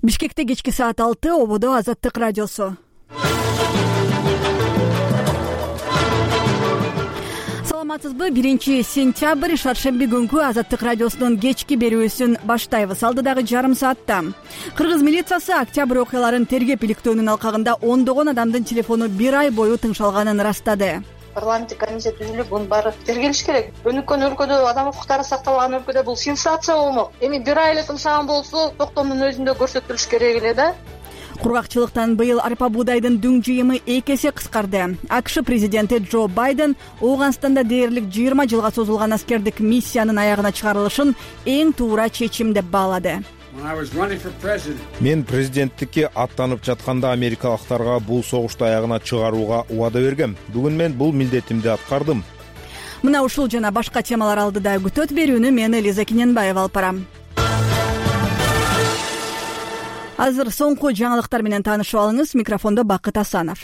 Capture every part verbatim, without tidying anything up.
Бишкекте кечки саат алты, ободо Азаттык радиосу. Саламатсызбы? биринчи сентябрь шаршемби күнкү Азаттык радиосунун кечки берүүсүн баштайбыз. Алдыдагы жарым саатта Кыргыз милициясы октябрь окуяларын тергеп иликтөөнүн алкагында ондогон адамдын телефону бир ай бою тыңшалганын ырастады. Парламенттик комиссия түзүлүп, бунун баары тергелиш керек. Өнүккөн өлкөдө, адам укуктары сакталган өлкөдө бул сенсация болмок. Эми бир ай эле тыңшаган болсо, токтомдун өзүндө көрсөтүлүш керек эле да. Кургакчылыктан быйыл арпа буудайдын дүң жыйымы эки эсе кыскарды. АКШ президенти Джо Байден Ооганстанда дээрлик жыйырма жылга созулган аскердик миссиянын аягына чыгарылышын эң туура чечим деп баалады. Мен президенттикке аттанып жатканда америкалыктарга бул согушту аягына чыгарууга убада бергем. Бүгүн мен бул милдетимди аткардым. Мына ушул жана башка темалар алдыда күтөт берүүнү мен Элиза Кененбаева алып барам. Азыр соңку жаңылыктар менен таанышып алыңыз. Микрофондо Бакыт Асанов.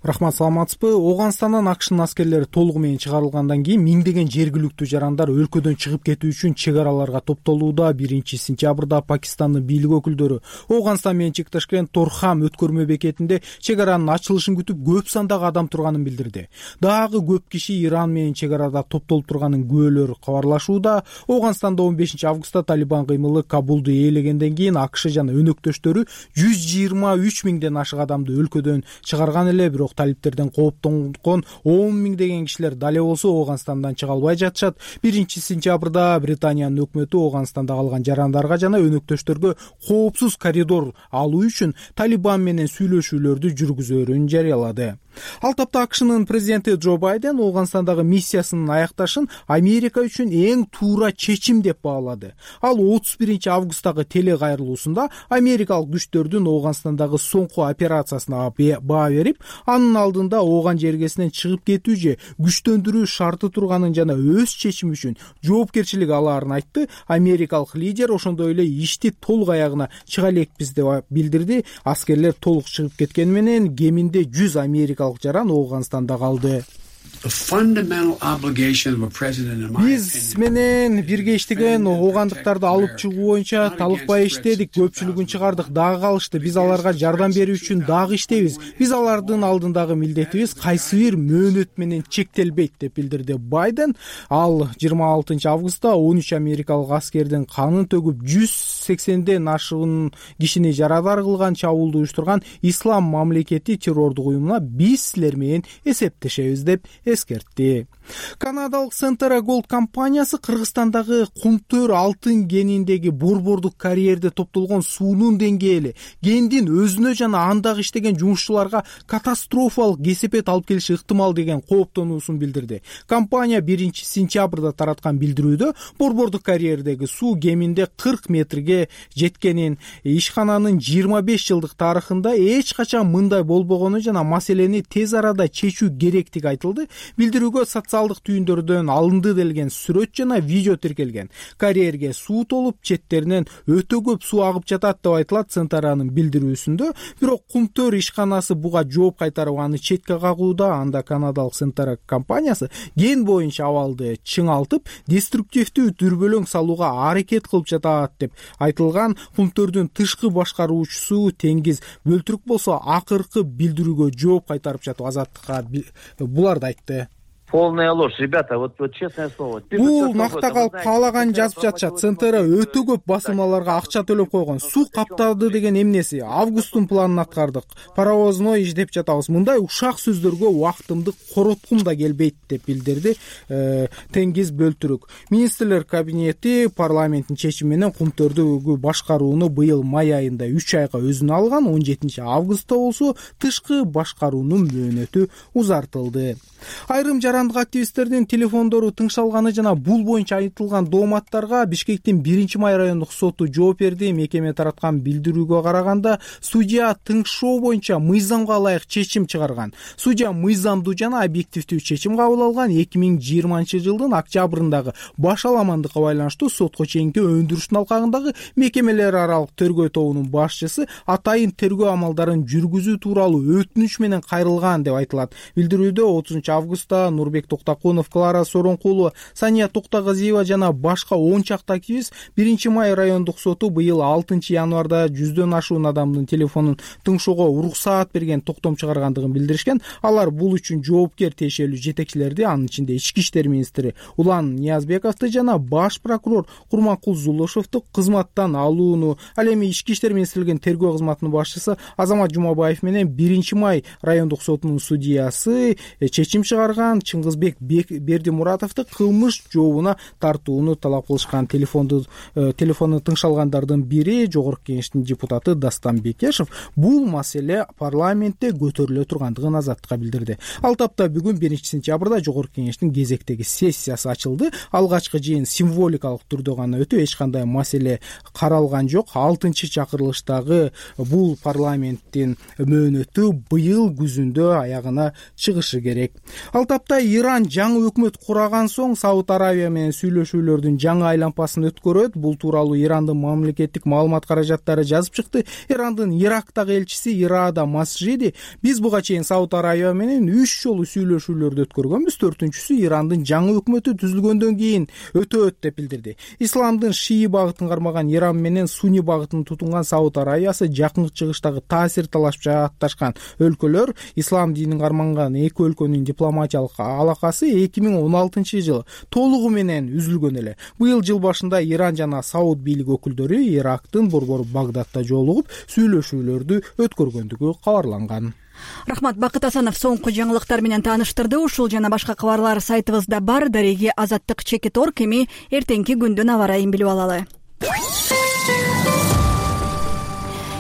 Рахмат, саламатсызбы? Ооганстандан АКШнын аскерлери толугу менен чыгарылгандан кийин миңдеген жергиликтүү жарандар өлкөдөн чыгып кетүү үчүн чек араларга топтолууда. биринчи сентябрда Пакистандын бийлик өкүлдөрү Ооганстан менен чектешкен Торхам өткөрмө бекетинде чек аранын ачылышын күтүп көп сандагы адам турганын билдирди. Дагы көп киши Иран менен чек арада топтолуп турганын күбөлөр кабарлашууда. Ооганстанда он бешинчи августта Талибан кыймылы Кабулду ээлегенден кийин АКШ жана өнөктөштөрү жүз жыйырма үч миңден ашык адамды өлкөдөн чыгарган эле. Бирок талиптерден кооптонгон он миңдеген кишилер дале болсо Ооганстандан чыга албай жатышат. биринчи сентябрда Британиянын өкмөтү Ооганстанда калган жарандарга жана өнөктөштөргө коопсуз коридор алуу үчүн Талибан менен сүйлөшүүлөрдү жүргүзөөрүн жарыялады. Ал тапта АКШнын президенти Джо Байден Ооганстандагы миссиясынын аякташын Америка үчүн эң туура чечим деп баалады. Ал отуз биринчи августтагы телекайрылуусунда америкалык күчтөрдүн Ооганстандагы соңку операциясына баа берип, анын алдында Ооган жергесинен чыгып кетүү же күчтөндүрүү шарты турганын жана өз чечими үчүн жоопкерчилик алаарын айтты. Америкалык лидер ошондой эле ишти толук аягына чыга элекпиз деп билдирди. Аскерлер толук чыгып кеткени менен кеминде жүз америкалык жаран Ооганстанда калды. Биз менен бирге иштеген оогандыктарды алып чыгуу боюнча талыкпай иштедик, көпчүлүгүн чыгардык, дагы калышты. Биз аларга жардам берүү үчүн дагы иштейбиз. Биз алардын алдындагы милдетибиз кайсы бир мөөнөт менен чектелбейт деп билдирди Байден. Ал жыйырма алтынчы августта он үч америкалык аскердин канын төгүп жүз сексенден ашыгын кишини жарадар кылган чабуулду уюштурган Ислам мамлекети террордук уюмуна биз силер менен эсептешебиз деп эскертти. Канадалык Centera Gold компаниясы Кыргызстандагы Кумтөр алтын кениндеги борбордук карьерде топтолгон суунун деңгээли кендин өзүнө жана андагы иштеген жумушчуларга катастрофалык кесепет алып келиши ыктымал деген кооптонуусун билдирди. Компания биринчи сентябрда тараткан билдирүүдө борбордук карьердеги суу кеминде кырк метрге жеткенин, ишкананын жыйырма беш жылдык тарыхында эч качан мындай болбогону жана маселени тез арада чечүү керектиги айтылды. Билдирүүгө социалдык түйүндөрдөн алынды делген сүрөт жана видео тиркелген. Карьерге суу толуп, четтеринен өтө көп суу агып жатат деп айтылат Центаранын билдирүүсүндө. Бирок Кумтөр ишканасы буга жооп кайтарып аны четке кагууда. Анда канадалык Centera компаниясы кен боюнча абалды чыңалтып, деструктивдүү дүрбөлөң салууга аракет кылып жатат деп айтылган. Кумтөрдүн тышкы башкаруучусу Теңиз Бөлтүрүк болсо акыркы билдирүүгө жооп кайтарып жатып Азаттыкка буларды айтты. Полная ложь, ребята, вот, вот честное слово. Бул накта калып каалаган жазып жатышат. Центера өтө көп басылмаларга акча төлөп койгон. Суу каптады деген эмнеси? Августтун планын аткардык. Паровозной издеп жатабыз. Мындай ушак сөздөргө убактымды короткум да келбейт деп билдирди э, Теңиз Бөлтүрүк. Министрлер кабинети парламенттин чечими менен Кумтөрдү башкарууну быйыл май айында үч айга өзүнө алган. он жетинчи августта болсо тышкы башкаруунун мөөнөтү узартылды. Айрым жарандык активисттердин телефондору тыңшалганы жана бул боюнча айтылган дооматтарга Бишкектин биринчи май райондук соту жооп берди. Мекеме тараткан билдирүүгө караганда, судья тыңшоо боюнча мыйзамга ылайык чечим чыгарган. Судья мыйзамдуу жана объективдүү чечим кабыл алган. эки миң жыйырманчы жылдын октябрындагы баш аламандыкка байланыштуу сотко чейинки өндүрүштүн алкагындагы мекемелер аралык тергөө тобунун башчысы атайын тергөө амалдарын жүргүзүү тууралуу өтүнүч менен кайрылган деп айтылат. Билдирүүдө отузунчу августта Нур Нурбек Токтокунов, Клара Соронкулова, Сания Токтогазиева жана башка он чакты активист биринчи май райондук соту быйыл алтынчы январда жүздөн ашуун адамдын телефонун тыңшоого уруксаат берген токтом чыгаргандыгын билдиришкен. Алар бул үчүн жоопкер тиешелүү жетекчилерди, анын ичинде ички иштер министри Улан Ниязбековду жана баш прокурор Курманкул Зулушевду кызматтан алууну, ал эми ички иштер министрлигинин тергөө кызматынын башчысы Азамат Жумабаев менен биринчи май райондук сотунун судьясы чечим чыгарган Чыңгызбек Бердимуратовду кылмыш жообуна тартууну талап кылышкан. Телефонду телефону тыңшалгандардын бири Жогорку Кеңештин депутаты Дастан Бекешев бул маселе парламентте көтөрүлө тургандыгын Азаттыкка билдирди. Ал тапта бүгүн биринчи сентябрда Жогорку Кеңештин кезектеги сессиясы ачылды. Алгачкы жыйын символикалык түрдө гана өтүп, эч кандай маселе каралган жок. алтынчы чакырылыштагы бул парламенттин мөөнөтү быйыл күзүндө аягына чыгышы керек. Ал тапта Иран жаңы өкмөт кураган соң Сауд Арабия менен сүйлөшүүлөрдүн жаңы айланпасын өткөрөт. Бул тууралуу Ирандын мамлекеттик маалымат каражаттары жазып чыкты. Ирандын Ирактагы элчиси Ирада Масжиди: биз буга чейин Сауд Арабия менен үч жолу сүйлөшүүлөрдү өткөргөнбүз, төртүнчүсү Ирандын жаңы өкмөтү түзүлгөндөн кийин өтөт деп билдирди. Исламдын шии багытын кармаган Иран менен сунни багытын тутунган Сауд Арабиясы жакын чыгыштагы таасир талашып жаатташкан өлкөлөр. Ислам динин карманган эки өлкөнүн дипломатиялык алакасы эки миң он алтынчы жылы толугу менен үзүлгөн эле. Быйыл жыл башында Иран жана Сауд бийлик өкүлдөрү Ирактын борбору Багдадта жолугуп сүйлөшүүлөрдү өткөргөндүгү кабарланган. Рахмат. Бакыт Асанов соңку жаңылыктар менен тааныштырды. Ушул жана башка кабарлар сайтыбызда бар. Дареги Азаттык чекит точка орг. Эми эртеңки күндүн аба ырайын билип алалы.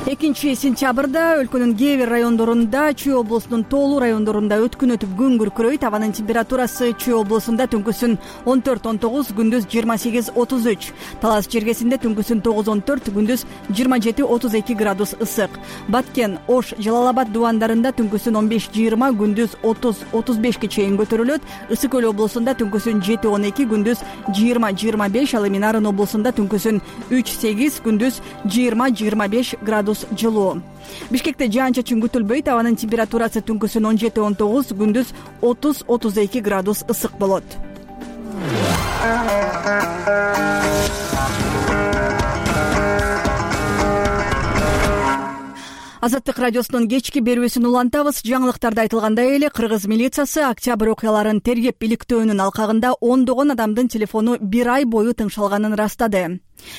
экинчи сентябрда өлкөнүн кээ бир райондорунда, Чүй облусунун тоолуу райондорунда өткүн өтүп күн күркүрөйт. Абанын температурасы Чүй облусунда түнкүсүн он төрт он тогуз, күндүз жыйырма сегиз отуз үч. Талас жергесинде түнкүсүн тогуз он төрт, күндүз жыйырма жети отуз эки градус ысык. Баткен, Ош, Жалал-Абад дубандарында түнкүсүн он беш жыйырма, күндүз отуз отуз бешке чейин көтөрүлөт. Ысык көл облусунда түнкүсүн жети он эки, күндүз жыйырма жыйырма беш. Ал эми Нарын облусунда түнкүсүн үч сегиз, күндүз жыйырма жыйырма беш градус жылуу. Бишкекте жаан-чачын күтүлбөйт. Абанын температурасы түнкүсүн он жети он тогуз, күндүз отуз отуз эки градус ысык болот. Азаттык радиосунун кечки берүүсүн улантабыз. Жаңылыктарда айтылгандай эле Кыргыз милициясы октябрь окуяларын тергеп иликтөөнүн алкагында ондогон адамдын телефону бир ай бою тыңшалганын ырастады.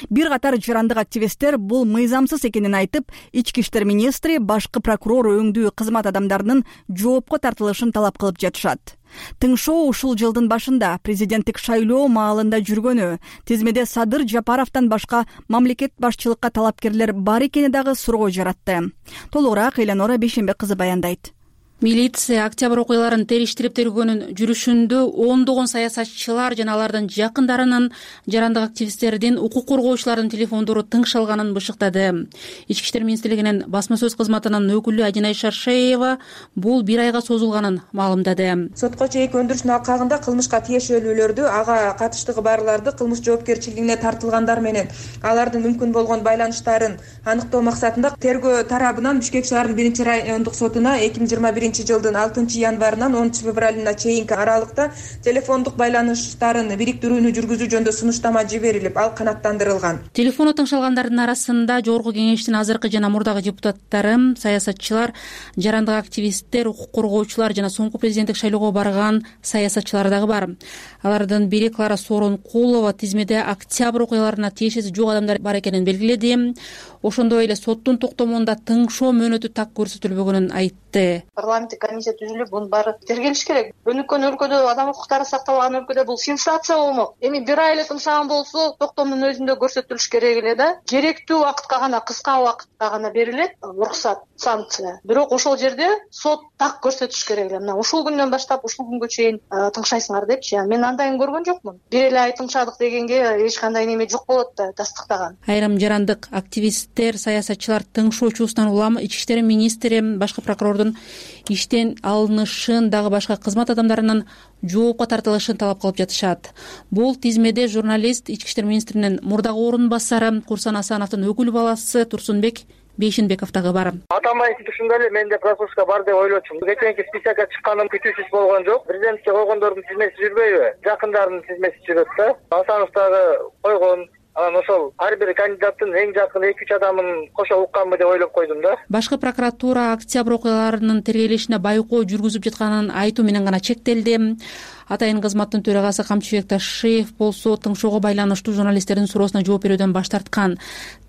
Бир катар жарандык активисттер бул мыйзамсыз экенин айтып, ички иштер министри, башкы прокурор өңдүү кызмат адамдарынын жоопко тартылышын талап кылып жатышат. Тыңшоо ушул жылдын башында президенттик шайлоо маалында жүргөнү, тизмеде Садыр Жапаровдон башка мамлекет башчылыкка талапкерлер бар экени дагы суроо жаратты. Толугураак Эленора Бейшембек кызы баяндайт. Милиция октябрь окуяларын териштирип тергөөнүн жүрүшүндө ондогон саясатчылар жана алардын жакындарынын, жарандык активисттердин, укук коргоочулардын телефондору тыңшалганын бышыктады. Ички иштер министрлигинин басма сөз кызматынын өкүлү Адинай Шаршеева бул бир айга созулганын маалымдады. Сотко чейинки өндүрүштүн алкагында кылмышка тиешелүүлөрдү, ага катыштыгы барларды кылмыш жоопкерчилигине тартылгандар менен алардын мүмкүн болгон байланыштарын аныктоо максатында тергөө тарабынан Бишкек шаарынын биринчи райондук сотуна эки миң жыйырма биринчи жылдын алтынчы январынан онунчу февралына чейинки аралыкта телефондук байланыштарын бириктирүүнү жүргүзүү жөнүндө сунуштама жиберилип, ал канааттандырылган. Телефону тыңшалгандардын арасында Жогорку Кеңештин азыркы жана мурдагы депутаттары, саясатчылар, жарандык активисттер, укук коргоочулар жана соңку президенттик шайлоого барган саясатчылар дагы бар. Алардын бири Клара Соронкулова тизмеде октябрь окуяларына тиешеси жок адамдар бар экенин белгиледи. Ошондой эле соттун токтомунда тыңшоо мөөнөтү так көрсөтүлбөгөнүн айтты. Парламенттик комиссия түзүлүп, бунун баары тергелиш керек. Өнүккөн өлкөдө, адам укуктары сакталган өлкөдө бул сенсация болмок. Эми бир ай эле тыңшаган болсо, токтомдун өзүндө көрсөтүлүш керек эле да. Керектүү убакытка гана, кыска убакытта гана берилет уруксат, санкция. Бирок ошол жерде сот так көрсөтүш керек эле. Мына ушул күндөн баштап ушул күнгө чейин тыңшайсыңар депчи. Мен андайын көргөн жокмун. Бир эле ай тыңшадык дегенге эч кандай неме жок болот да, тастыктаган. Айрым жарандык активисттер, саясатчылар тыңшоочусунан улам ички иштер министри, башкы прокурордун иштен алынышын, дагы башка кызмат адамдарынын жоопко тартылышын талап кылып жатышат. Бул тизмеде журналист, ички иштер министринин мурдагы орун басары Курсан Асановдун өкүл баласы Турсунбек Бейшенбеков дагы бар. Атамбаевдин түшүндө эле менде пропуска бар деп ойлочумун. Кечээки списокко чыкканым күтүүсүз болгон жок. Президентке койгондордун тизмеси жүрбөйбү? Жакындарынын тизмеси жүрөт да. Асанов дагы койгон. Анан ошол ар бир кандидаттын эң жакын эки үч адамын кошо укканбы деп ойлоп койдум да. Башкы прокуратура октябрь окуяларынын тергелишине байкоо жүргүзүп жатканын айтуу менен гана чектелди. Атайын кызматтын төрагасы Камчыбек Ташиев болсо тыңшоого байланыштуу журналисттердин суроосуна жооп берүүдөн баш тарткан.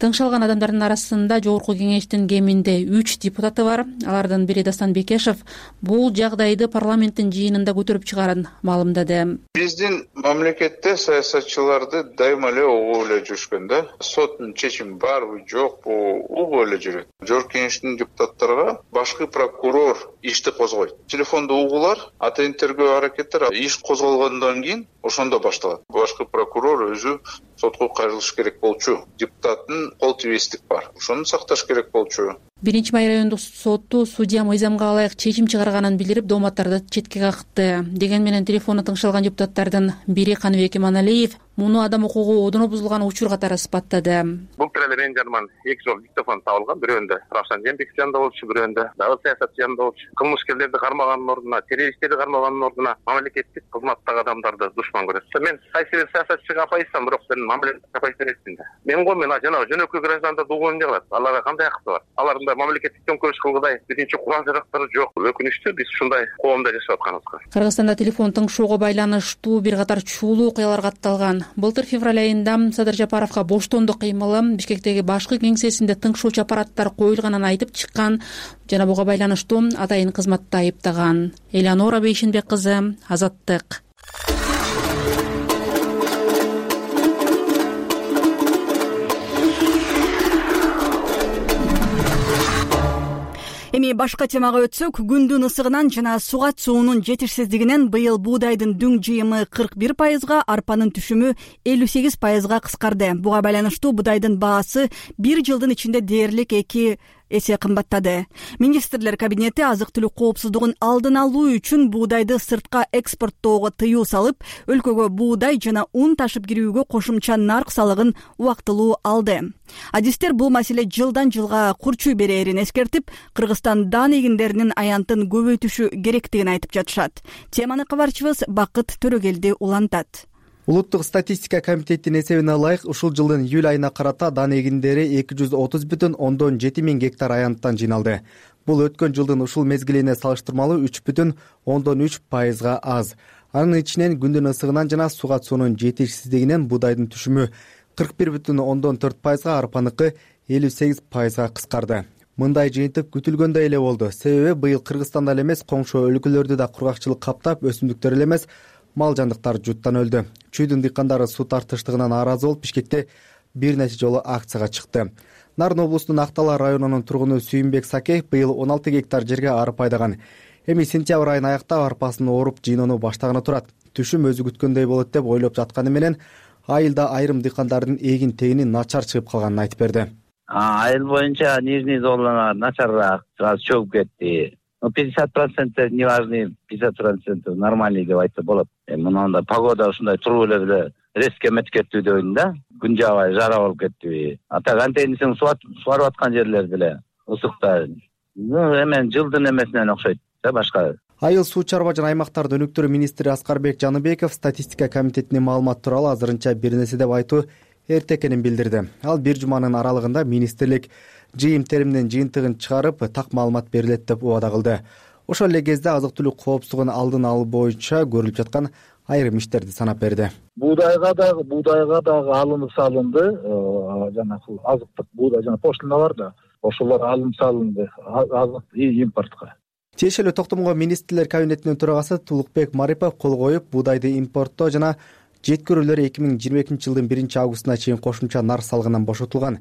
Тыңшалган адамдардын арасында Жогорку Кеңештин кеминде үч депутаты бар. Алардын бири Дастан Бекешев бул жагдайды парламенттин жыйынында көтөрүп чыгарын маалымдады. Биздин мамлекетте саясатчыларды дайыма эле угуп эле жүрүшкөн да. Соттун чечими барбы, жокпу, угуп эле жүрөт. Жогорку Кеңештин депутаттарга башкы прокурор ишти козгойт. Телефондо угуулар, атайын тергөө аракеттер иш козголгондон кийин ошондо башталат. Башкы прокурор өзү сотко кайрылыш керек болчу. Депутаттын кол тийбестик бар. Ошону сакташ керек болчу. Биринчи май райондук соту судья мыйзамга ылайык чечим чыгарганын билдирип, дооматтарды четке какты. Деген менен телефону тыңшалган депутаттардын бири Каныбек Иманалиев муну адам укугу одоно бузулган учур катары сыпаттады. Бул тиреле менин жаныман эки жолу диктофон табылган. Бирөөндө Равшан Жээнбеков жанында болчу, бирөөндө дагы саясатчы жанында болчу. Кылмышкерлерди кармаганын ордуна, террористтерди кармаганын ордуна мамлекеттик кызматтагы адамдарды душман көрөт. Мен кайсы бир саясатчыга апайсам, бирок мен мамлекетке апайсам эмесмин да. Мен го мен жанагы жөнөкөй граждандарды угууну кылат. Аларга кандай акты бар? Алардын мамлекеттик төңкөрүш кылгыдай биринчи курал жарактары жок. Өкүнүчтүү биз ушундай коомдо жашап атканыбызга. Кыргызстанда телефон тыңшоого байланыштуу бир катар чуулуу окуялар катталган. Былтыр февраль айында Садыр Жапаровго боштондук кыймылы Бишкектеги башкы кеңсесинде тыңшоочу аппараттар коюлганын айтып чыккан жана буга байланыштуу атайын кызматты айыптаган. Элеонора Бейшенбек кызы, Азаттык. Эми башка темага өтсөк, күндүн ысыгынан жана сугат суунун жетишсиздигинен быйыл буудайдын дүң жыйымы кырк бир пайызга, арпанын түшүмү элүү сегиз пайызга кыскарды. Буга байланыштуу буудайдын баасы бир жылдын ичинде дээрлик эки эсе кымбаттады. Министрлер кабинети азык-түлүк коопсуздугун алдын алуу үчүн буудайды сыртка экспорттоого тыюу салып, өлкөгө буудай жана ун ташып кирүүгө кошумча нарк салыгын убактылуу алды. Адистер бул маселе жылдан жылга курчуй берээрин эскертип, Кыргызстан дан эгиндеринин аянтын көбөйтүшү керектигин айтып жатышат. Теманы кабарчыбыз Бакыт Төрөгелди улантат. Улуттук статистика комитетинин эсебине ылайык, ушул жылдын июль айына карата дан эгиндери эки жүз отуз бүтүн ондон жети миң гектар аянттан жыйналды. Бул өткөн жылдын ушул мезгилине салыштырмалуу үч бүтүн ондон үч пайызга аз. Анын ичинен күндүн ысыгынан жана сугат суунун жетишсиздигинен буудайдын түшүмү кырк бир бүтүн ондон төрт пайызга, арпаныкы элүү сегиз пайызга кыскарды. Мындай жыйынтык күтүлгөндөй эле болду. Себеби быйыл Кыргызстанда эле эмес, коңшу өлкөлөрдү да кургакчылык каптап, өсүмдүктөр эле эмес, мал жандыктар жуттан өлдү. Чүйдүн дыйкандары суу тартыштыгынан нааразы болуп, Бишкекте бир нече жолу акцияга чыкты. Нарын облусунун Актала районунун тургуну Сүйүнбек Сакеев быйыл он алты гектар жерге арпа айдаган. Эми сентябрь айын аяктап арпасын ооруп жыйноону баштаганы турат. Түшүм өзү күткөндөй болот деп ойлоп жатканы менен, айылда айрым дыйкандардын эгин тегини начар чыгып калганын айтып берди. Айыл боюнча нижний зоналар начарраак, чөгүп кетти. пятьдесят процентов неважный, пятьдесят процентов нормальный деп айтса болот. Мында погода ушундай туруп эле эле резко эметип кеттү деп ойлойм да. Күн жаабай, жара болуп кеттиби. Ата антенисин суарып аткан жерлер деле ысыкта. Эмен жылдын эмесинен окшойт да башка. Айыл суу чарба жана аймактардын өнүктүрүү министри Аскарбек Жаныбеков статистика комитетинин маалыматы тууралуу азырынча бир нерсе деп айтуу эрте экенин билдирди. Ал бир жуманын аралыгында министрлик жыйым теримдин жыйынтыгын чыгарып, так маалымат берилет деп убада кылды. Ошол эле кезде азык-түлүк коопсуздугун алдын алуу боюнча көрүлүп жаткан айрым иштерди санап берди. Буудайга дагы буудайга дагы алынып салынды, жанагы азыктык буудай жана пошлина бар да, ошолор алынып салынды азык импортко. Тиешелүү токтомго министрлер кабинетинин төрагасы Тулукбек Марипов кол коюп, буудайды импорттоо жана жеткирүүлөр эки миң жыйырма экинчи жылдын биринчи августуна чейин кошумча нарк салыгынан бошотулган.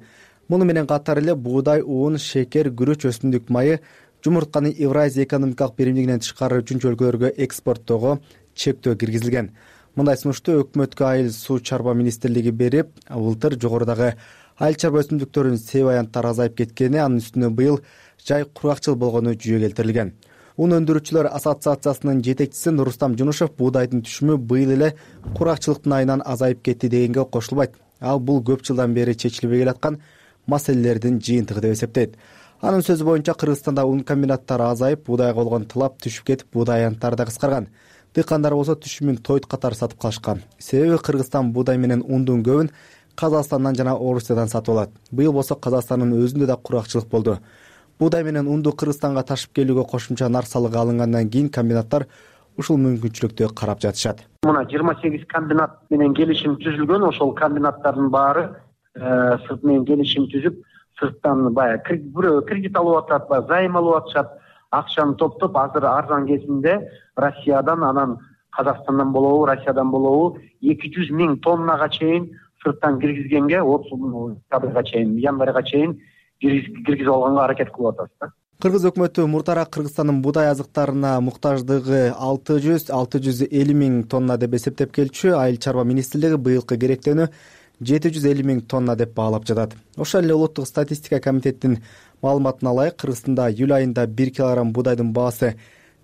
Муну менен катар эле буудай, уун, шекер, күрөч, өсүмдүк майы, жумуртканы Евразия экономикалык биримдигинен тышкары үчүнчү өлкөлөргө экспорттоого чектөө киргизилген. Мындай сунушту өкмөткө айыл суу чарба министрлиги берип, былтыр жогорудагы айыл чарба өсүмдүктөрүнүн себеп аянттары азайып кеткени, анын үстүнө быйыл жай кургакчыл болгону жүйө келтирилген. Ун өндүрүүчүлөр ассоциациясынын жетекчиси Нурустам Жунушев буудайдын түшүмү быйыл эле кургакчылыктын айынан азайып кетти дегенге кошулбайт. Ал бул көп жылдан бери чечилбей келаткан маселелердин жыйынтыгы деп эсептейт. Анын сөзү боюнча Кыргызстанда un комбинаттары азайып, буудайга болгон талап түшүп кетип, буудай аянттары да кыскарган. Дыйкандар болсо түшүмүн тойт катары сатып калышкан. Себеби Кыргызстан буудай менен ундун көбүн Казакстандан жана Орусиядан сатып алат. Быйыл болсо Казакстандын өзүндө да куракчылык болду. Буудай менен унду Кыргызстанга ташып келүүгө кошумча нар салыгы алынгандан кийин комбинаттар ушул мүмкүнчүлүктү карап жатышат. Мына жыйырма сегиз комбинат менен келишим түзүлгөн. Ошол комбинаттардын баары сырт менен келишим түзүп, сырттан баягы кредит алып атат, баягы займ алып атышат. Акчаны топтоп, азыр арзан кезинде Россиядан, анан Казакстандан болобу, Россиядан болобу эки жүз миң тоннага чейин сырттан киргизгенге, октябрга чейин, январга чейин киргизип алганга аракет кылып атабыз да. Кыргыз өкмөтү муртара Кыргызстандын буудай азыктарына муктаждыгы алты жүз алты жүз элүү миң тонна деп эсептеп келчү. Айыл чарба министрлиги быйылкы керектөөнү жети жүз элүү миң тонна деп баалап жатат. Ошол эле улуттук статистика комитетинин маалыматына ылайык, Кыргызстанда июль айында бир килограмм буудайдын баасы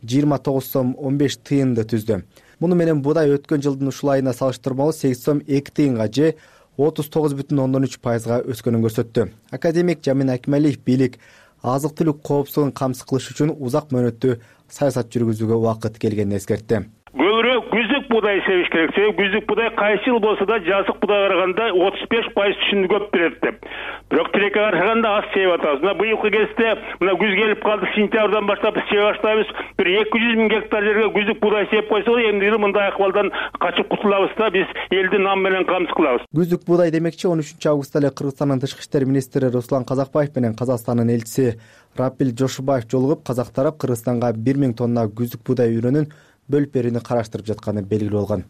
жыйырма тогуз сом он беш тыйынды түздү. Муну менен буудай өткөн жылдын ушул айына салыштырмалуу сегиз сом эки тыйынга же отуз тогуз бүтүн ондон үч пайызга өскөнүн көрсөттү. Академик Жамин Акмалиев бийлик азык-түлүк коопсуздугун камсыз кылыш үчүн узак мөөнөттүү саясат жүргүзүүгө убакыт келгенин эскертти. Көбүрөөк күздүк буудай себиш керек. Себеби күздүк буудай кайсы жыл болсо да жазык буудайга караганда отуз беш пайыз түшүмдү көп берет деп. Бирок тилекке караганда аз себип атабыз. Мына быйылкы кезде мына күз келип калды, сентябрдан баштап биз себе баштайбыз. Бир эки жүз миң гектар жерге күздүк буудай себип койсок, эмди мындай акыбалдан качып кутулабыз да, биз элди нам менен камсыз кылабыз. Күздүк буудай демекчи он үчүнчү августта эле Кыргызстандын тышкы иштер министри Руслан Казакбаев менен Казакстандын элчиси Рапил Жошубаев жолугуп, казак тарап Кыргызстанга бир миң тонна күздүк буудай үрөнүн бөлүп берүүнү караштырып жатканы белгилүү болгон.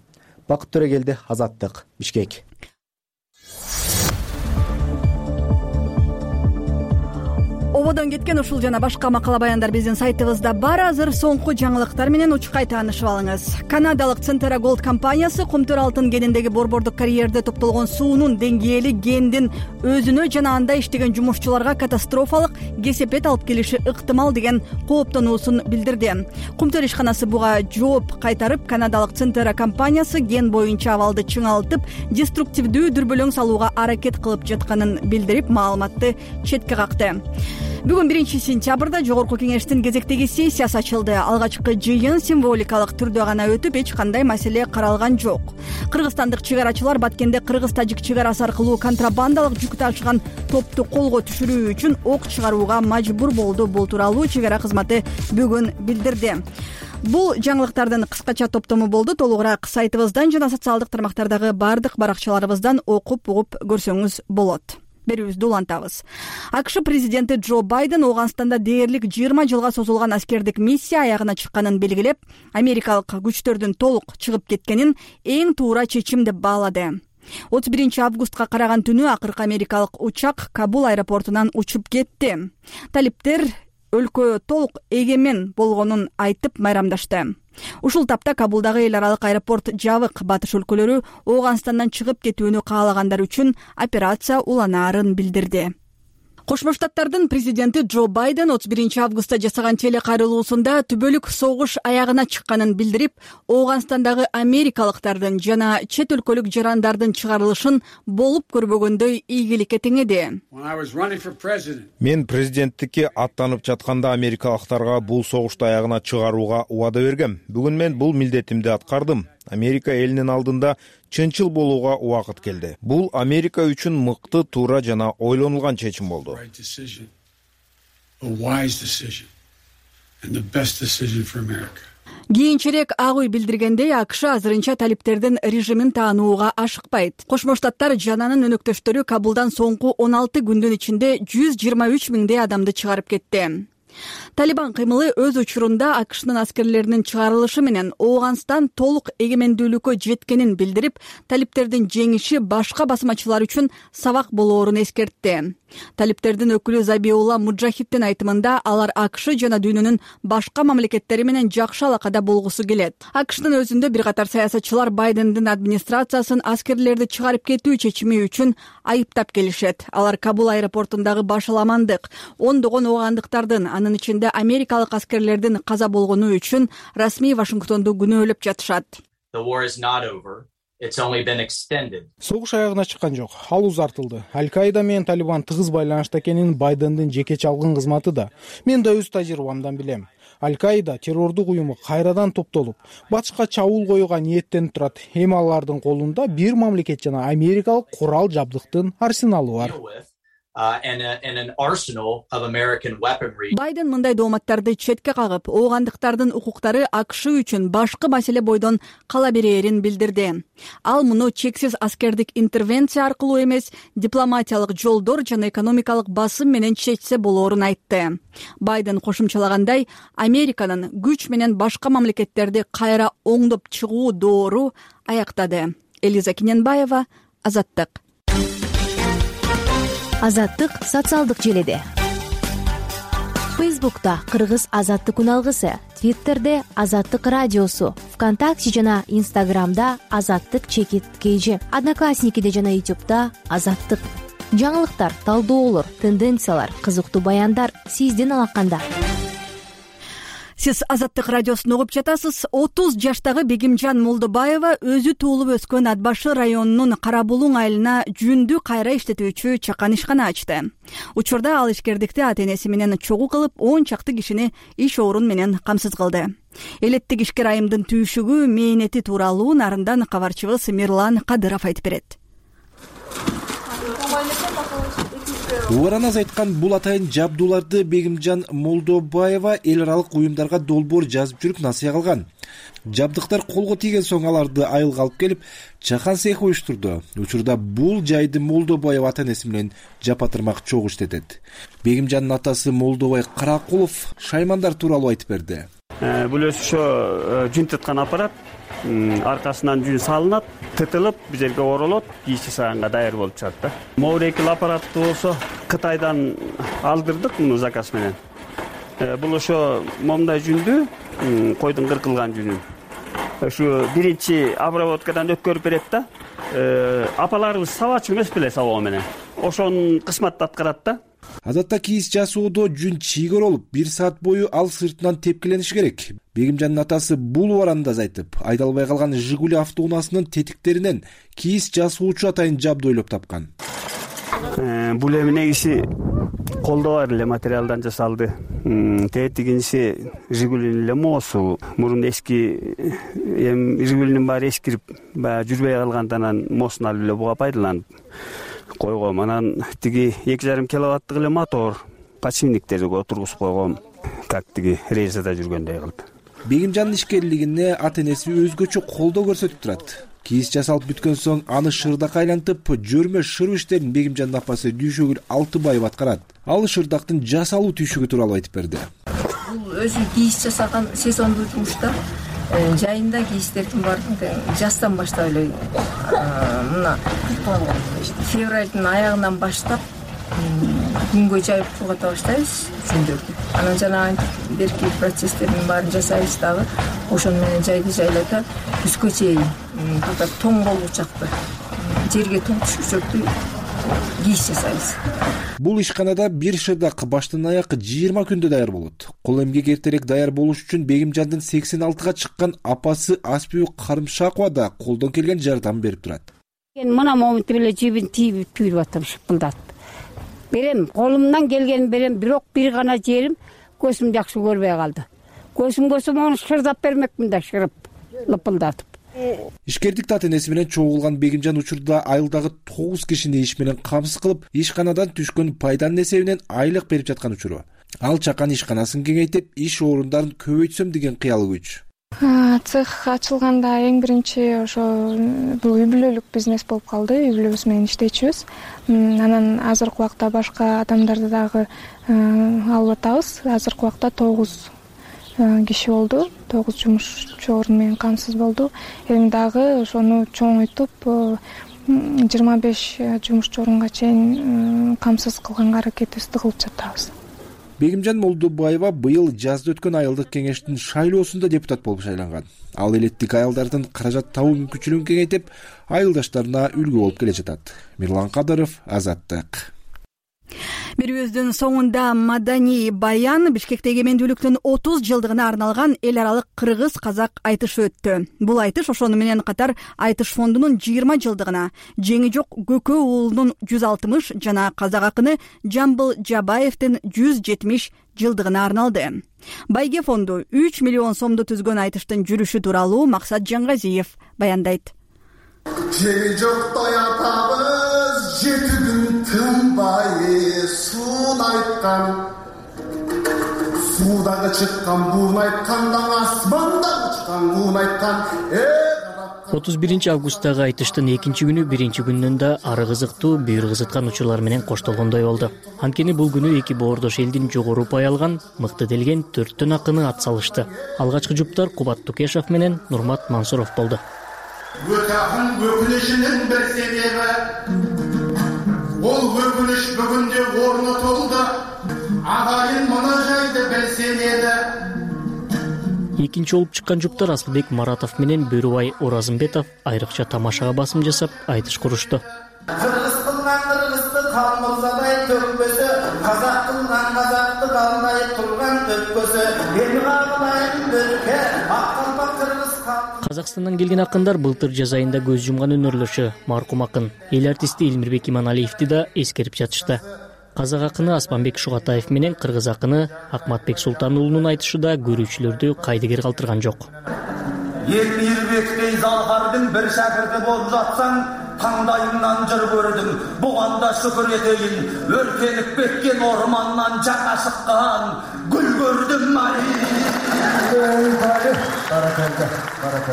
Бакыт Төрөгелди, Азаттык, Бишкек. Ободон кеткен ушул жана башка макала баяндар биздин сайтыбызда бар. Азыр соңку жаңылыктар менен учкай таанышып алыңыз. Канадалык Centera Gold компаниясы Кумтөр алтын кениндеги борбордук карьерде топтолгон суунун деңгээли кендин өзүнө жана анда иштеген жумушчуларга катастрофалык кесепет алып келиши ыктымал деген кооптонуусун билдирди. Кумтөр ишканасы буга жооп кайтарып, канадалык Centera компаниясы кен боюнча абалды чыңалтып, деструктивдүү дүрбөлөң салууга аракет кылып жатканын билдирип, маалыматты четке какты. Бүгүн биринчи сентябрда жогорку кеңештин кезектеги сессиясы ачылды. Алгачкы жыйын символикалык түрдө гана өтүп, эч кандай маселе каралган жок. Кыргызстандык чыгарачылар Баткенде кыргыз-тажик чыгарасы аркылуу контрабандалык жүк ташыган топту колго түшүрүү үчүн ок чыгарууга мажбур болду. Бул тууралуу чыгара кызматы бүгүн билдирди. Бул жаңылыктардын кыскача топтому болду. Толугураак сайтыбыздан жана социалдык тармактардагы бардык баракчаларыбыздан окуп угуп көрсөңүз болот. Берүүбүздү улантабыз. АКШ президенти Джо Байден Ооганстанда дээрлик жыйырма жылга созулган аскердик миссия аягына чыкканын белгилеп, америкалык күчтөрдүн толук чыгып кеткенин эң туура чечим деп баалады. отуз биринчи августка караган түнү акыркы америкалык учак Кабул аэропортунан учуп кетти. Талиптер өлкө толук эгемен болгонун айтып майрамдашты. Ушул тапта Кабулдагы эл аралык аэропорт жабык. Батыш өлкөлөрү Ооганстандан чыгып кетүүнү каалагандар үчүн операция уланаарын билдирди. Кошмо Штаттардын президенти Джо Байден отуз биринчи августта жасаган телекайрылуусунда түбөлүк согуш аягына чыкканын билдирип, Ооганстандагы америкалыктардын жана чет өлкөлүк жарандардын чыгарылышын болуп көрбөгөндөй ийгиликке теңеди. Мен президенттикке аттанып жатканда америкалыктарга бул согушту аягына чыгарууга убада бергем. Бүгүн мен бул милдетимди аткардым. Америка элинин алдында чынчыл болууга убакыт келди. Бул Америка үчүн мыкты, туура жана ойлонулган чечим болду. Кийинчерээк Ак үй билдиргендей, АКШ азырынча талиптердин режимин таанууга ашыкпайт. Кошмо Штаттар жананын өнөктөштөрү Кабулдан соңку он алты күндүн ичинде жүз жыйырма үч миңдей адамды чыгарып кетти. Талибан кыймылы өз учурунда АКШнын аскерлеринин чыгарылышы менен Ооганстан толук эгемендүүлүккө жеткенин билдирип, талиптердин жеңиши башка басмачылар үчүн сабак болоорун эскертти. Талиптердин өкүлү Забиулла Муджахиддин айтымында, алар АКШ жана дүйнөнүн башка мамлекеттери менен жакшы алакада болгусу келет. АКШтын өзүндө бир катар саясатчылар Байдендин администрациясын аскерлерди чыгарып кетүү чечими үчүн айыптап келишет. Алар Кабул аэропортундагы башаламандык, ондогон оогандыктардын, анын ичинде америкалык аскерлердин каза болгону үчүн расмий Вашингтонду күнөөлөп жатышат. согуш аягына чыккан жок, ал узартылды. Аль-Каида менен Талибан тыгыз байланышта экенин Байдендин жеке чалгын кызматы да. Мен да өз тажрыйбамдан билем. Аль-Каида террордук уюму кайрадан топтолуп, батышка чабуул коюуга ниеттенип турат. Эми алардын колунда бир мамлекет жана америкалык курал жабдыктын арсеналу бар. Байден мындай дооматтарды четке кагып, оогандыктардын укуктары АКШ үчүн башкы маселе бойдон кала берээрин билдирди. Ал муну чексиз аскердик интервенция аркылуу эмес, дипломатиялык жолдор жана экономикалык басым менен чечсе болоорун айтты. Байден кошумчалагандай, Американын күч менен башка мамлекеттерди кайра оңдоп чыгуу доору аяктады. Элиза Киненбаева, Азаттык. Азаттык социалдык желеде. Фейсбукта Кыргыз Азаттык үналгысы, Твиттерде Азаттык радиосу, ВКонтакте жана Инстаграмда Азаттык чекит кейжи, Одноклассникиде жана Ютубда Азаттык. Жаңылыктар, талдоолор, тенденциялар, кызыктуу баяндар сиздин алаканда. Сиз Азаттык радиосун угуп жатасыз. отуз жаштагы Бегимжан Молдобаева өзү туулуп өскөн Ат башы районунун Карабулуң айылына жүндү кайра иштетүүчү чакан ишкана ачты. Учурда ал ишкердикти ата энеси менен чогуу кылып, он чакты кишини иш орун менен камсыз кылды. Элеттик ишкер айымдын түйшүгү, мээнети тууралуу нарындан кабарчыбыз Мирлан Кадыров айтып берет. Убараназ айткан бул атайын жабдууларды Бегимжан Молдобаева эл аралык уюмдарга долбоор жазып жүрүп насыя кылган. Жабдыктар колго тийген соң аларды айылга алып келип, чакан цех уюштурду. Учурда бул жайды Молдобаева ата энеси менен жапатырмак чогуу иштетет. Бегимжандын атасы Молдобай Каракулов шаймандар тууралуу айтып берди. Бул ошо жүн тыткан аппарат, аркасынан жүн салынат, тытылып, бул жерге оролот, кийиз жасаганга даяр болуп чыгат да. Моурекил аппаратты болсо Кытайдан алдырдык муну заказ менен. Бул ошо момундай жүндү, койдун кыркылган жүнүн. Ушу биринчи обработкадан өткөрүп берет да. Апаларыбыз сабачы эмес беле сабоо менен. Ошонун кызматты аткарат да. Адатта кийиз жасоодо жүн чийгөр болуп, бир саат бою ал сыртынан тепкилениш керек. Бегимжандын атасы бул убаранда айтып, айдалбай калган Жигули автоунаасынын тетиктеринен кийиз жасоочу атайын жабды ойлоп тапкан. Бул эми негизи колдо бар эле материалдан жасалды. Тетигинчи Жигулинин эле моосу. Мурун эски эми Жигулинин баары эскирип, баягы жүрбөй калгандан моосун алып эле буга пайдаланып койгом. Анан тиги эки жарым киловаттык эле мотор, подшипниктерди отургузуп койгом. Как тиги рейсада жүргөндөй кылды. Бегимжандын ишкерлигине ата энеси өзгөчө колдоо көрсөтүп турат. Кийиз жасалып бүткөн соң аны шырдак айлантып, жөрмө шыру иштерин Бегимжандын апасы Дүйшөгүл Алтыбаева аткарат. Ал шырдактын жасалуу түйшүгү тууралуу айтып берди. Бул өзү кийиз жасаган сезондуу жумушта жайында кийиздердин баарын жаздан баштап эле мына февралдын аягынан баштап күнгө жайып кургата баштайбыз жүндөрдү. Анан жана берки процесстердин баарын жасайбыз дагы. Ошону менен жайды жайлата түскө чейин burada тоң болуу чакты жерге тоң түшүрчөктү кийиз жасайбыз. Бул ишканада бир шырдак баштан аяк жыйырма күндө даяр болот. Кол эмгек эртерээк даяр болуш үчүн Бегимжандын сексен алтыга чыккан апасы Аспүү Карымшакова да колдон келген жардам берип турат. Мен мына моментте эле жибин тийип күйрүп атам, шыпылдат. Берем, колумдан келгенин берем, бирок бир гана жерим көзүм жакшы көрбөй калды. Көзүм көрсөм аны шырдап бермекмин да, шырып, лыпылдатып. Ишкердик ата энеси менен чогулган Бегимжан учурда айылдагы тогуз кишини иш менен камсыз кылып, ишканадан түшкөн пайданын эсебинен айлык берип жаткан учуру. Ал чакан ишканасын кеңейтип, иш орундарын көбөйтсөм деген кыялы күч. Цех ачылганда эң биринчи ошо бул үй бүлөлүк бизнес болуп калды. Үй бүлөбүз менен иштечүбүз. Анан азыркы убакта башка адамдарды дагы алып атабыз. Азыркы убакта тогуз киши болду. тогуз жумушчу орун менен камсыз болду. Эми дагы ошону чоңойтуп жыйырма беш жумушчу орунга чейин камсыз кылганга аракетибизди кылып жатабыз. Бегимжан Молдобаева быйыл жазда өткөн айылдык кеңештин шайлоосунда депутат болуп шайланган. Ал элеттик айылдардын каражат табуу мүмкүнчүлүгүн кеңейтип, айылдаштарына үлгү болуп келе жатат. Мирлан Кадыров, Азаттык. Берүүбүздүн соңунда маданий баян Бишкекте эгемендүүлүктүн отуз жылдыгына арналган эл аралык кыргыз-казак айтышы өттү. Бул айтыш ошону менен катар Айтыш фондунун жыйырма жылдыгына, Жеңи жок Көкө уулунун жүз алтымыш жана казак акыны Жамбыл Жабаевдин жүз жетимиш жылдыгына арналды. Байге фонду үч миллион сомду түзгөн айтыштын жүрүшү тууралуу Максат Жангазиев баяндайт. Жеңи жоктой атабыз жети күн тынбай суун айткан, суудагы чыккан буун айткандан асманда учкан куун айткан. отуз биринчи августтагы айтыштын экинчи күнү биринчи күндөн да ары кызыктуу, бүйүр кызыткан учурлар менен коштолгондой болду. Анткени бул күнү эки боордош элдин жогору упай алган, мыкты делген төрттөн акыны ат салышты. Алгачкы жуптар Кубат Тукешов менен Нурмат Мансуров болду. Өтакын өкүнүшүнүн бир себеби, ол өкүнүш бүгүндө орнотулду. Агайын мына жайды билсен эди. Экинчи болуп чыккан жуптар Асылбек Маратов менен Бөрүбай Оразымбетов айрыкча тамашага басым жасап айтыш курушту. Кыргыз кылган кыргызды калмырзадай төкпөсө, казак кылган казакты калмай турган өткөсө, эми калайын бөлкө, аккалпак кыргыз. Казакстандан келген акындар былтыр жаз айында көз жумган өнөрлөшү маркум акын эл артисти Элмирбек Иманалиевди да эскерип жатышты. Казак акыны Аспанбек Шугатаев менен кыргыз акыны Акматбек Султан уулунун айтышы да көрүүчүлөрдү кайдыгер калтырган жок. Элмирбектей залгардын бир шакырты болуп жатсаң, таңдайыңнан жыр көрдүм, буганда шүкүр этейин, өркенип кеткен ормандан жаңа чыккан гүл көрдүм ай.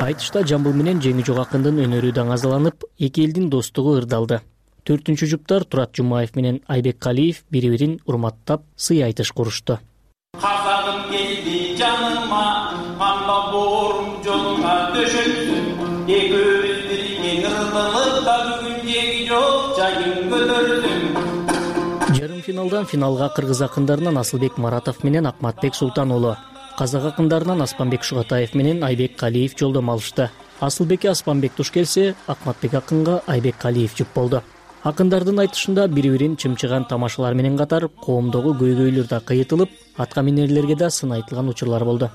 Айтышта Жамбыл менен Жеңи жок акындын өнөрү даңазаланып, эки элдин достугу ырдалды. Төртүнчү жуптар Турат Жумаев менен Айбек Калиев бири-бирин урматтап сый айтыш курушту. Казагым келди жаныма, анда боорум жолуңа төшөлдүм, экөөбүз бирге ырдылыкта бүгүн Жеңи жок жайын көтөрдүм. Жарым финалдан финалга кыргыз акындарынан Асылбек Маратов менен Акматбек Султан уулу, казак акындарынан Аспанбек Шугатаев менен Айбек Калиев жолдомо алышты. Асылбекке Аспанбек туш келсе, Акматбек акынга Айбек Калиев жүп болду. Акындардын айтышында бири-бирин чымчыган тамашалар менен катар коомдогу көйгөйлөр да кыйытылып, атка минерлерге да сын айтылган учурлар болду.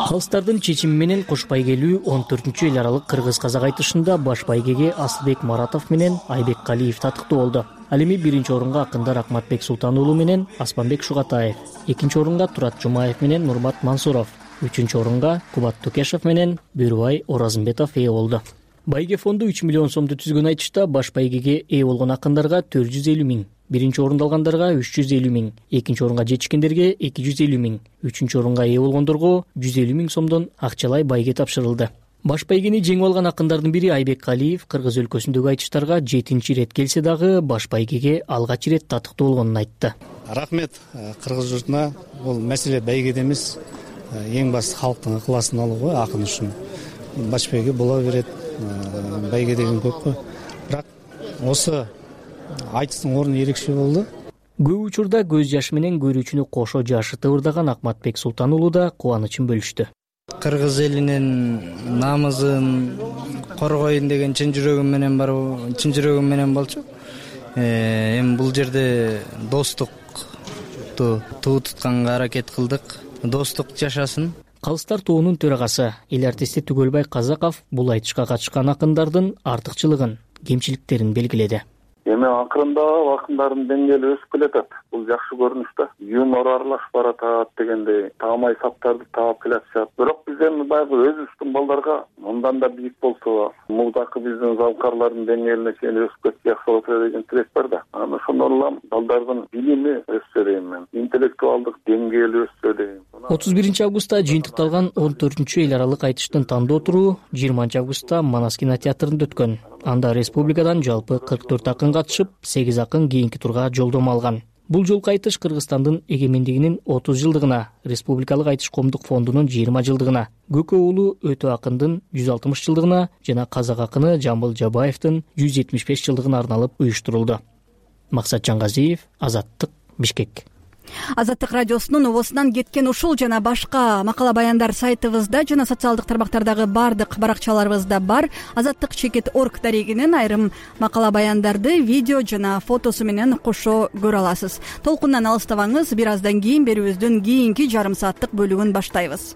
Калыстардын чечими менен кош байгелүү он төртүнчү эл аралык кыргыз-казак айтышында баш байгеге Асылбек Маратов менен Айбек Калиев татыктуу болду. Ал эми биринчи орунга акындар Акматбек Султан уулу менен Аспанбек Шугатаев, экинчи орунга Турат Жумаев менен Нурмат Мансуров, үчүнчү орунга Кубат Тукешов менен Бөрүбай Оразымбетов ээ болду. Байге фонду үч миллион сомду түзгөн айтышта баш байгеге ээ болгон акындарга төрт жүз элүү миң, биринчи орунду алгандарга үч жүз элүү миң, экинчи орунга жетишкендерге эки жүз элүү миң, үчүнчү орунга ээ болгондорго жүз элүү миң сомдон акчалай байге тапшырылды. Баш байгени жеңип алган акындардын бири Айбек Калиев кыргыз өлкөсүндөгү айтыштарга жетинчи ирет келсе дагы баш байгеге алгач ирет татыктуу болгонун айтты. Рахмет кыргыз журтуна. Бул маселе байгеде эмес, эң башты халктын ыкыласын алуу го акын үчүн. Баш байге боло берет, байге деген көп го. Бирок осы айтыштын орну эрекче болду. Көп учурда көз жашы менен көрүүчүнү кошо жашыты ырдаган Акматбек Султан уулу да кубанычын бөлүштү. Кыргыз элинин намысын коргоюн деген чын жүрөгүм менен бар, чын жүрөгүм менен болчу. Эми бул жерде достукту туу тутканга аракет кылдык. Достук жашасын. Калыстар тоонун төрагасы эл артисти Түгөлбай Казаков бул айтышка катышкан акындардын артыкчылыгын, кемчиликтерин белгиледи. Эми акырында акындардын деңгээли өсүп келатат. Бул жакшы көрүнүш да. Юмор аралашып баратат дегендей таамай саптарды таап келатышат. Бирок биз эми баягы өзүбүздүн балдарга мындан да бийик болсо, мурдакы биздин залкарлардын деңгээлине чейин өсүп кетсе жакшы болот деген тилек бар да. Анан ошондон улам балдардын билими өссө дейм мен. Интеллектуалдык деңгээли өссө дейм. отуз биринчи августта жыйынтыкталган он төртүнчү эл аралык айтыштын тандоо туру жыйырманчы августта Манас кинотеатрында өткөн. Анда республикадан жалпы кырк төрт акын катышып, сегиз акын кийинки турга жолдомо алган. Бул жолку айтыш Кыргызстандын эгемендигинин отуз жылдыгына, Республикалык айтыш коомдук фондунун жыйырма жылдыгына, Көкө уулу Өтө акындын жүз алтымыш жылдыгына жана казак акыны Жамбыл Жабаевдин жүз жетимиш беш жылдыгына арналып уюштурулду. Максат Жангазиев, Азаттык, Бишкек. Азаттык радиосунун обосунан кеткен ушул жана башка макала баяндар сайтыбызда жана социалдык тармактардагы баардык баракчаларыбызда бар. Азаттык чекит орг дарегинен айрым макала баяндарды видео жана фотосу менен кошо көрө аласыз. Толкундан алыстабаңыз, бир аздан кийин берүүбүздүн кийинки жарым сааттык бөлүгүн баштайбыз.